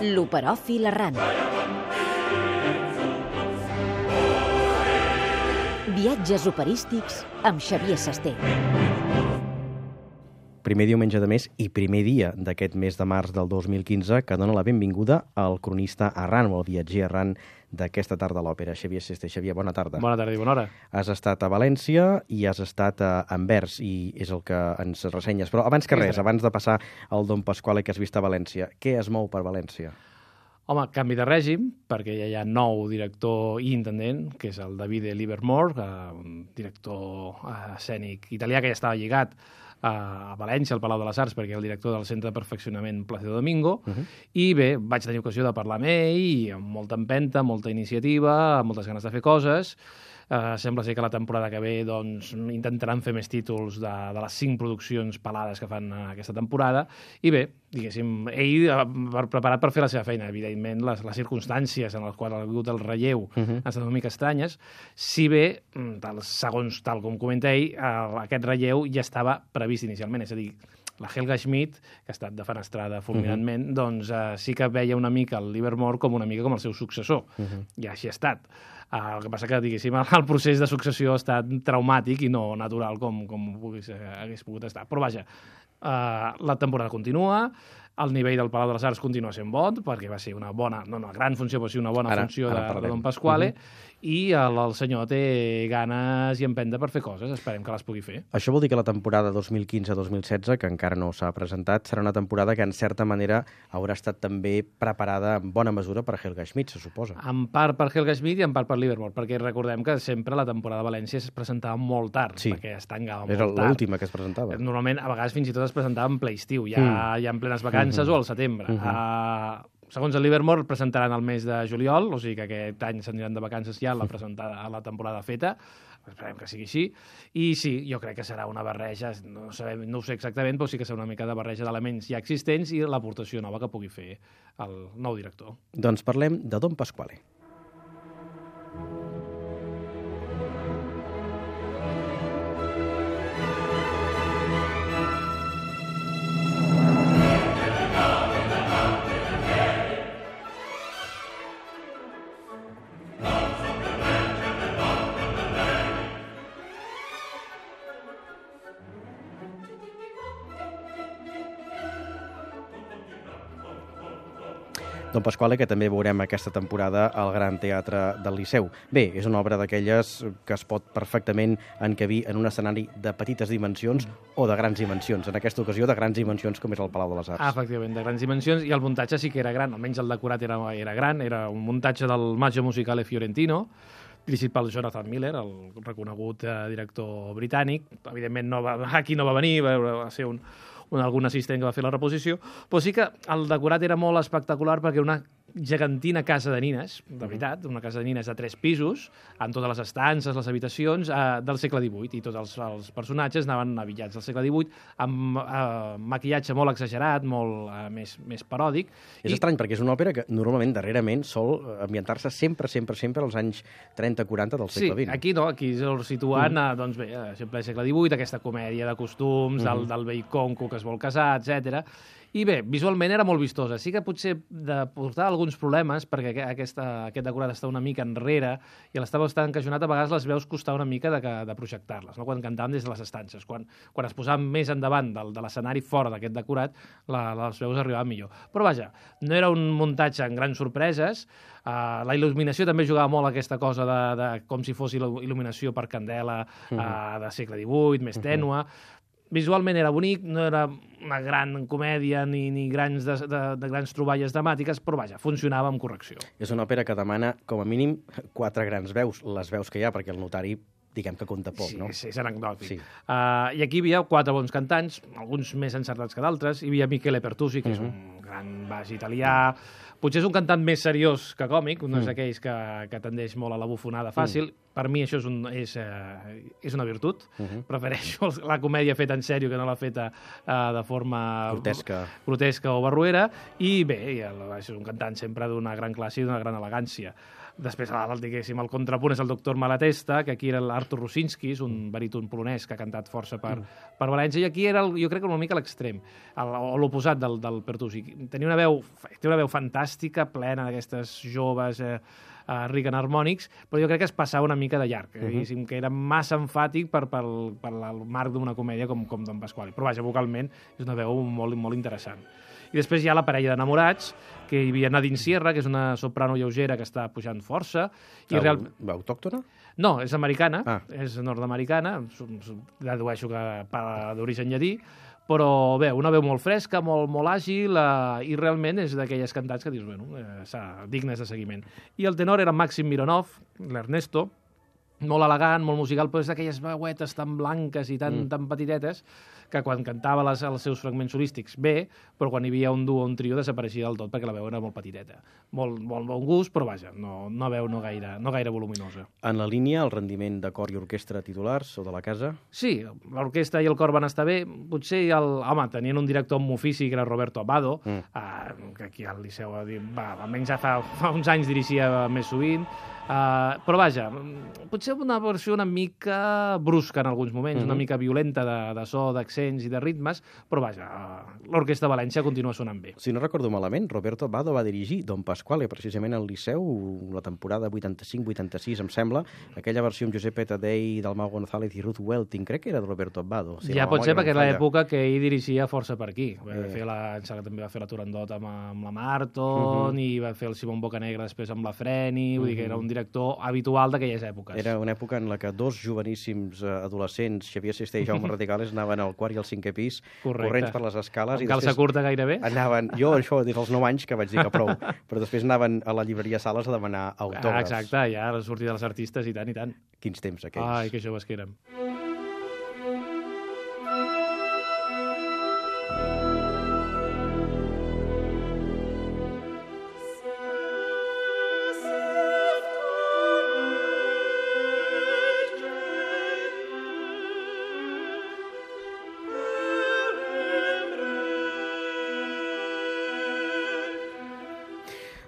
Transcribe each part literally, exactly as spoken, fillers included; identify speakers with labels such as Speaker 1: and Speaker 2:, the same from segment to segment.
Speaker 1: L'Operòfil Errant. Viatges operístics amb Xavier Sasté.
Speaker 2: Primer diumenge de mes i primer dia d'aquest mes de març del dos mil quinze que dona la benvinguda al cronista errant o al viatger errant d'aquesta tarda a l'òpera. Xavier Sasté. Xavier, bona tarda.
Speaker 3: Bona tarda i bona hora.
Speaker 2: Has estat a València i has estat a Anvers i és el que ens ressenyes. Però abans que res, abans de passar al Don Pasquale que has vist a València, què es mou per València?
Speaker 3: Home, canvi de règim, perquè ja hi ha nou director i intendent, que és el Davide Livermore, un director escènic italià que ja estava lligat a València, al Palau de les Arts, perquè el director del Centre de Perfeccionament Plácido Domingo, uh -huh. i bé, vaig tenir ocasió de parlar amb ell, i amb molta empenta, molta iniciativa, amb moltes ganes de fer coses. Uh, sembla ser que la temporada que ve doncs, intentaran fer més títols de, de les cinc produccions pelades que fan uh, aquesta temporada, i bé, diguéssim, ell uh, preparat per fer la seva feina. Evidentment, les, les circumstàncies en les quals ha hagut el relleu uh -huh. han estat una mica estranyes, si bé, tal, segons tal com comenta ell, uh, aquest relleu ja estava previst inicialment, és a dir, la Helga Schmidt, que ha estat defenestrada fulminantment, uh -huh. doncs uh, sí que veia una mica el Livermore com una mica com el seu successor, uh -huh. i així ha estat. Uh, el que passa que, diguéssim, el procés de successió ha estat traumàtic i no natural com, com pogués, eh, hagués pogut estar. Però vaja, uh, la temporada continua, el nivell del Palau de les Arts continua sent bon, perquè va ser una bona, no una gran funció, però sí una bona ara, funció ara de, de Don Pasquale, uh -huh. i el, el senyor té ganes i empenta per fer coses, esperem que les pugui fer.
Speaker 2: Això vol dir que la temporada dos mil quinze dos mil setze, que encara no s'ha presentat, serà una temporada que en certa manera haurà estat també preparada en bona mesura per Helga Schmidt, se suposa.
Speaker 3: En part per Helga Schmidt i en part per Livermore, perquè recordem que sempre la temporada de València es presentava molt tard,
Speaker 2: sí.
Speaker 3: perquè es tancava molt
Speaker 2: Era
Speaker 3: tard.
Speaker 2: Era l'última que es presentava.
Speaker 3: Normalment, a vegades fins i tot es presentava en ple estiu, ja, mm. ja en plenes vacances uh -huh. o al setembre. Uh -huh. uh, segons el Livermore, presentaran el mes de juliol, o sigui que aquest any s'aniran de vacances ja a la, presentada, a la temporada feta. Esperem que sigui així. I sí, jo crec que serà una barreja, no, sabem, no ho sé exactament, però sí que serà una mica de barreja d'elements ja existents i l'aportació nova que pugui fer el nou director.
Speaker 2: Doncs parlem de Don Pasquale. Don Pasquale, que també veurem aquesta temporada al Gran Teatre del Liceu. Bé, és una obra d'aquelles que es pot perfectament encabir en un escenari de petites dimensions o de grans dimensions. En aquesta ocasió, de grans dimensions, com és el Palau de les Arts.
Speaker 3: Ah, efectivament, de grans dimensions, i el muntatge sí que era gran, almenys el decorat era, era gran, era un muntatge del Maggio Musicale Fiorentino, dirigit pel Jonathan Miller, el reconegut eh, director britànic. Evidentment, no va, aquí no va venir, va, va ser un... un algun assistent que va fer la reposició, però sí que el decorat era molt espectacular perquè una gegantina casa de nines, de veritat, una casa de nines de tres pisos, amb totes les estances, les habitacions, eh, del segle divuit, i tots els, els personatges anaven avillats del segle divuit, amb eh, maquillatge molt exagerat, molt eh, més, més paròdic.
Speaker 2: És I... estrany, perquè és una òpera que normalment, darrerament, sol ambientar-se sempre, sempre, sempre als anys trenta quaranta del segle vint.
Speaker 3: Sí, aquí no, aquí es situant, mm. doncs bé, sempre al segle divuit, aquesta comèdia de costums, mm -hmm. del, del vell conco que es vol casar, etcètera. I bé, visualment era molt vistosa. Sí que potser de portar alguns problemes, perquè aquesta, aquest decorat està una mica enrere i l'estava bastant encajonat, a vegades les veus costar una mica de, de projectar-les, no? Quan cantàvem des de les estances. Quan, quan es posaven més endavant del, de l'escenari fora d'aquest decorat, la, les veus arribaven millor. Però vaja, no era un muntatge amb grans sorpreses. Uh, la il·luminació també jugava molt aquesta cosa de, de com si fos il·luminació per candela uh, de segle divuit, més tènua. Visualment era bonic, no era una gran comèdia ni, ni grans de, de, de grans troballes dramàtiques, però vaja, funcionava amb correcció.
Speaker 2: És una òpera que demana, com a mínim, quatre grans veus, les veus que hi ha, perquè el notari, diguem que compta poc,
Speaker 3: sí,
Speaker 2: no?
Speaker 3: Sí, és anecdòtic. Sí. Uh, I aquí hi havia quatre bons cantants, alguns més encertats que d'altres. Hi havia Michele Pertusi, que uh -huh. és un gran baix italià. Potser és un cantant més seriós que còmic, un mm. d'aquells que, que tendeix molt a la bufonada fàcil. Mm. Per mi això és, un, és, uh, és una virtut. Uh -huh. Prefereixo la comèdia feta en sèrio que no la feta uh, de forma
Speaker 2: grotesca.
Speaker 3: grotesca o barruera. I bé, és un cantant sempre d'una gran classe i d'una gran elegància. Després, el, diguéssim, el contrapunt és el doctor Malatesta, que aquí era l'Artur Rusinski, un baríton polonès que ha cantat força per, mm. per València, i aquí era, el, jo crec que una mica l'extrem, o l'oposat del, del Pertusi. Tenia una veu, té una veu fantàstica, plena d'aquestes joves eh, uh, Reagan Harmonics, però jo crec que es passava una mica de llarg, uh -huh. que era massa emfàtic per, per, per el marc d'una comèdia com, com Don Pasquale. Però vaja, vocalment és una veu molt, molt interessant. I després hi ha la parella d'enamorats, que hi havia Nadine Sierra, que és una soprano lleugera que està pujant força. I
Speaker 2: Au,
Speaker 3: real...
Speaker 2: Autòctona?
Speaker 3: No, és americana,
Speaker 2: ah.
Speaker 3: és nord-americana, dedueixo que d'origen llatí, però bé, una veu molt fresca, molt, molt àgil, eh, i realment és d'aquelles cantants que dius, bueno, eh, dignes de seguiment. I el tenor era Maxim Mironov, l'Ernesto, molt elegant, molt musical, però és d'aquelles veuetes tan blanques i tan, mm. tan petitetes que quan cantava les, els seus fragments solístics bé, però quan hi havia un duo o un trio desapareixia del tot perquè la veu era molt petiteta. Molt, molt bon gust, però vaja, no, no veu no gaire, no gaire voluminosa.
Speaker 2: En la línia, el rendiment de cor i orquestra titulars o de la casa?
Speaker 3: Sí, l'orquestra i el cor van estar bé. Potser, el, home, tenien un director amb ofici que era Roberto Abbado, mm. eh, que aquí al Liceu va, almenys ja fa, fa uns anys dirigia més sovint, Uh, però vaja, potser una versió una mica brusca en alguns moments, mm-hmm. una mica violenta de, de so, d'accents i de ritmes, però vaja, uh, l'Orquestra de València continua sonant bé.
Speaker 2: Si no recordo malament, Roberto Abbado va dirigir Don Pasquale, precisament al Liceu, la temporada vuitanta-cinc vuitanta-sis, em sembla, aquella versió amb Giuseppe Taddei, Dalmau González i Ruth Welting, crec que era de Roberto Abbado. Si
Speaker 3: ja
Speaker 2: no,
Speaker 3: pot ser perquè era l'època que ell dirigia força per aquí. Va
Speaker 2: eh.
Speaker 3: fer la, em sembla que també va fer la Turandot amb, amb la Marton, mm-hmm. i va fer el Simon Bocanegra després amb la Freni, vull mm-hmm. dir que era un director habitual d'aquelles èpoques.
Speaker 2: Era una època en la que dos joveníssims adolescents, Xavier Sisté i Jaume Raticales, anaven al quart i al cinquè pis,
Speaker 3: correcte,
Speaker 2: corrents per les escales.
Speaker 3: Amb calça curta gairebé?
Speaker 2: Anaven, jo això des dels nou anys que vaig dir que prou, però després anaven a la llibreria Sales a demanar autògrafs.
Speaker 3: Ah, exacte, ja la sortida dels artistes i tant, i tant.
Speaker 2: Quins temps aquells.
Speaker 3: Ai, que joves que érem.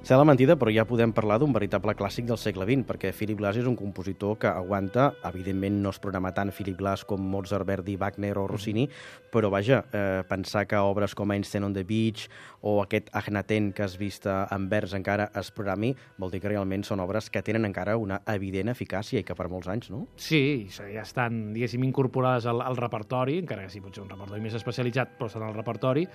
Speaker 2: Sé la mentida, però ja podem parlar d'un veritable clàssic del segle vint, perquè Philip Glass és un compositor que aguanta, evidentment no es programa tant Philip Glass com Mozart, Verdi, Wagner o Rossini, però vaja, eh, pensar que obres com Einstein on the Beach o aquest Agnaten que has vist en vers encara es programi, vol dir que realment són obres que tenen encara una evident eficàcia i que per molts anys, no?
Speaker 3: Sí, ja estan, diguéssim, incorporades al, al repertori, encara que sí, potser un repertori més especialitzat, però estan al repertori,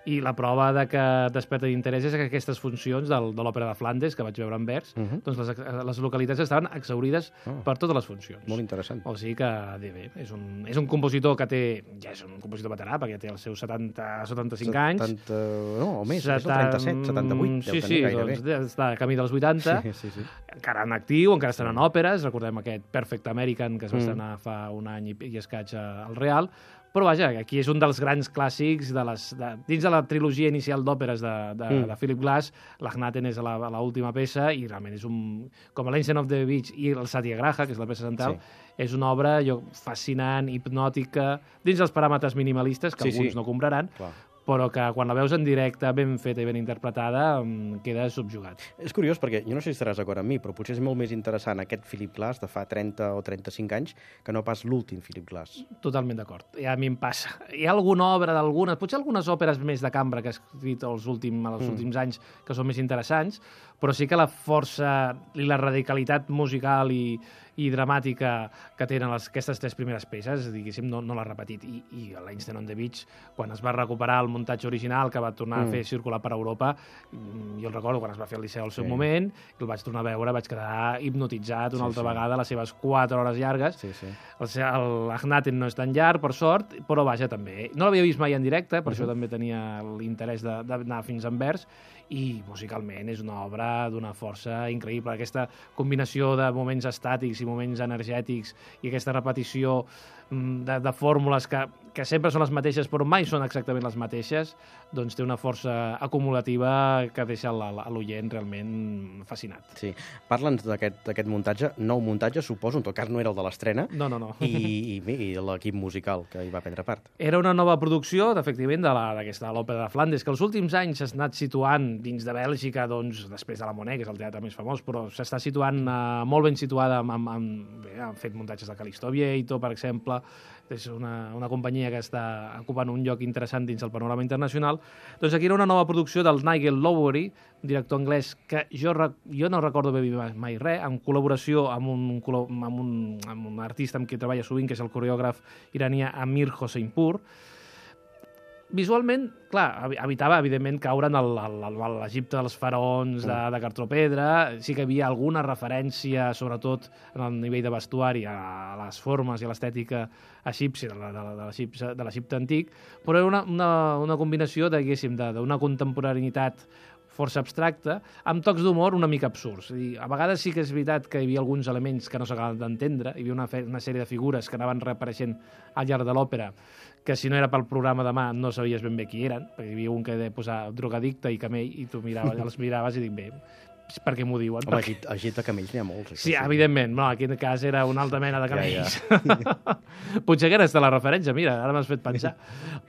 Speaker 3: i la prova de que desperta d'interès és que aquestes funcions del, de l'òpera de Flandes, que vaig veure en vers, uh -huh. doncs les, les localitats estaven exhaurides oh. per totes les funcions.
Speaker 2: Molt interessant.
Speaker 3: O sigui que, bé, és un, és un compositor que té, ja és un compositor veterà, perquè ja té els seus setanta, setanta-cinc anys.
Speaker 2: setanta, no, o més, setanta, és el trenta-set, setanta-vuit,
Speaker 3: sí, sí, doncs està a camí dels vuitanta,
Speaker 2: sí, sí, sí.
Speaker 3: encara en actiu, encara estan en òperes, recordem aquest Perfect American que es va estrenar mm. fa un any i, i escaig al Real, però vaja, aquí és un dels grans clàssics de les, de, dins de la trilogia inicial d'òperes de, de, mm. de Philip Glass. L'Agnaten és l'última peça i realment és un... com l'Einstein of the Beach i el Satyagraha, que és la peça central, sí. és una obra jo, fascinant, hipnòtica, dins dels paràmetres minimalistes, que sí, alguns sí. no compraran, clar, però que quan la veus en directe, ben feta i ben interpretada, queda subjugat.
Speaker 2: És curiós, perquè jo no sé si estaràs d'acord amb mi, però potser és molt més interessant aquest Philip Glass de fa trenta o trenta-cinc anys que no pas l'últim Philip Glass.
Speaker 3: Totalment d'acord. Ja a mi em passa. Hi ha alguna obra d'algunes, potser algunes òperes més de cambra que ha escrit els últims, els mm. últims anys que són més interessants, però sí que la força i la radicalitat musical i, i dramàtica que tenen les, aquestes tres primeres peces, diguéssim, no, no l'ha repetit. I, i l'Einstein on the Beach, quan es va recuperar el muntatge original que va tornar mm. a fer circular per Europa, jo el recordo quan es va fer al Liceu al seu sí. moment, el vaig tornar a veure, vaig quedar hipnotitzat una sí, altra sí. vegada, les seves quatre hores llargues.
Speaker 2: Sí, sí.
Speaker 3: L'Agnaten no és tan llarg, per sort, però vaja, també. No l'havia vist mai en directe, per uh -huh. això també tenia l'interès d'anar fins a Anvers, i musicalment és una obra d'una força increïble. Aquesta combinació de moments estàtics i moments energètics i aquesta repetició de, de fórmules que, que sempre són les mateixes, però mai són exactament les mateixes, doncs té una força acumulativa que deixa l'oient realment fascinat.
Speaker 2: Sí. Parla'ns d'aquest muntatge, nou muntatge, suposo, en tot cas no era el de l'estrena,
Speaker 3: no, no, no.
Speaker 2: i, i, i l'equip musical que hi va prendre part.
Speaker 3: Era una nova producció, efectivament, d'aquesta l'Òpera de Flandes, que els últims anys s'ha anat situant dins de Bèlgica, doncs, després de la Monet, que és el teatre més famós, però s'està situant eh, molt ben situada, amb, amb, amb, bé, han fet muntatges de Calixto Vieito, per exemple, és una, una companyia que està ocupant un lloc interessant dins el panorama internacional. Doncs aquí era una nova producció del Nigel Lowery, un director anglès que jo, jo no recordo bé mai res, en col·laboració amb un, amb, un, amb un artista amb qui treballa sovint, que és el coreògraf iranià Amir Hosseinpour. Visualment, clar, evitava, evidentment, caure en l'Egipte dels faraons de, de cartropedra. Sí que hi havia alguna referència, sobretot en el nivell de vestuari, a les formes i a l'estètica egípcia, de l'Egipte antic, però era una, una, una combinació, diguéssim, d'una contemporaneïtat força abstracta, amb tocs d'humor una mica absurds. És a dir, a vegades sí que és veritat que hi havia alguns elements que no s'acabaven d'entendre, hi havia una, una sèrie de figures que anaven reapareixent al llarg de l'òpera, que si no era pel programa demà no sabies ben bé qui eren, perquè hi havia un que deia posar drogadicte i camell, i tu miraves, els miraves i dic, bé, per què m'ho diuen?
Speaker 2: Home, aquí, aquí de camells n'hi ha molts.
Speaker 3: Sí, evidentment, no, aquí en cas era una altra mena de camells. Ja, ja. Potser que era la referència, mira, ara m'has fet pensar.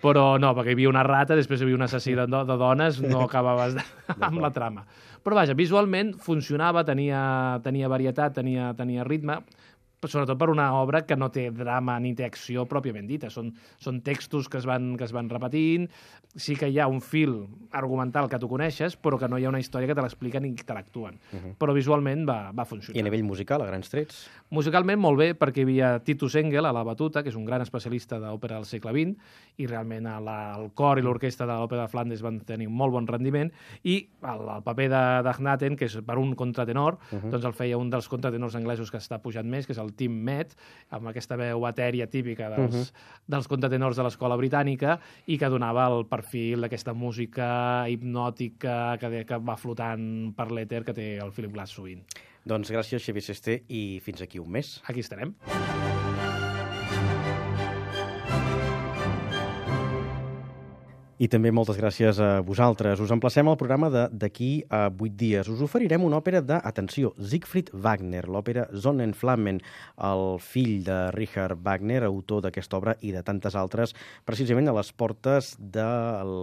Speaker 3: Però no, perquè hi havia una rata, després hi havia un assassí de, de dones, no acabaves de, amb la trama. Però vaja, visualment funcionava, tenia, tenia varietat, tenia, tenia ritme, sobretot per una obra que no té drama ni té acció pròpiament dita. Són, són textos que es, van, que es van repetint, sí que hi ha un fil argumental que tu coneixes, però que no hi ha una història que te l'explica ni que te l'actuen. Uh -huh. Però visualment va, va funcionar.
Speaker 2: I a nivell musical, a grans trets?
Speaker 3: Musicalment molt bé, perquè hi havia Titus Engel a la batuta, que és un gran especialista d'òpera del segle vint, i realment la, el cor i l'orquestra de l'Òpera de Flandes van tenir un molt bon rendiment, i el, el paper d'Agnaten, que és per un contratenor, uh -huh. doncs el feia un dels contratenors anglesos que està pujant més, que és el Tim Met, amb aquesta veu etèria típica dels, uh -huh. dels contratenors de l'escola britànica, i que donava el perfil d'aquesta música hipnòtica que, que va flotant per l'èter que té el Philip Glass sovint.
Speaker 2: Doncs gràcies, Xavier Sesté, i fins aquí un mes.
Speaker 3: Aquí estarem.
Speaker 2: I també moltes gràcies a vosaltres. Us emplacem al programa d'aquí a vuit dies. Us oferirem una òpera de, atenció, Siegfried Wagner, l'òpera Sonnenflammen, el fill de Richard Wagner, autor d'aquesta obra i de tantes altres, precisament a les portes de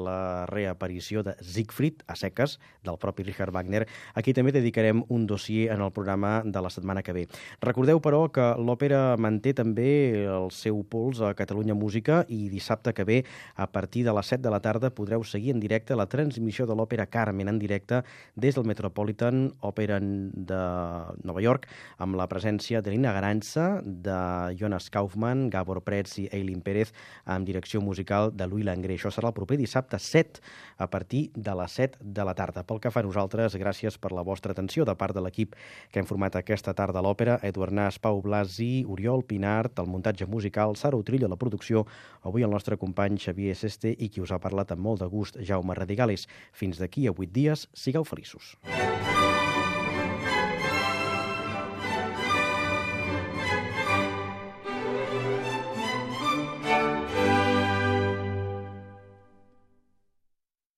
Speaker 2: la reaparició de Siegfried, a seques, del propi Richard Wagner. Aquí també dedicarem un dossier en el programa de la setmana que ve. Recordeu, però, que l'òpera manté també el seu pols a Catalunya Música, i dissabte que ve, a partir de les set de la tarda, podreu seguir en directe la transmissió de l'òpera Carmen en directe des del Metropolitan Opera de Nova York, amb la presència de Lina Garanza, de Jonas Kaufmann, Gabor Pretz i Eileen Pérez, amb direcció musical de Louis Langrée. Això serà el proper dissabte set, a partir de les set de la tarda. Pel que fa a nosaltres, gràcies per la vostra atenció de part de l'equip que hem format aquesta tarda a l'òpera: Eduard Nas, Pau Blasi, Oriol Pinart, el muntatge musical, Sara Utrillo, la producció, avui el nostre company Xavier Sesté, i qui us ha parlat amb molt de gust, Jaume Radigales. Fins d'aquí a vuit dies, sigueu feliços.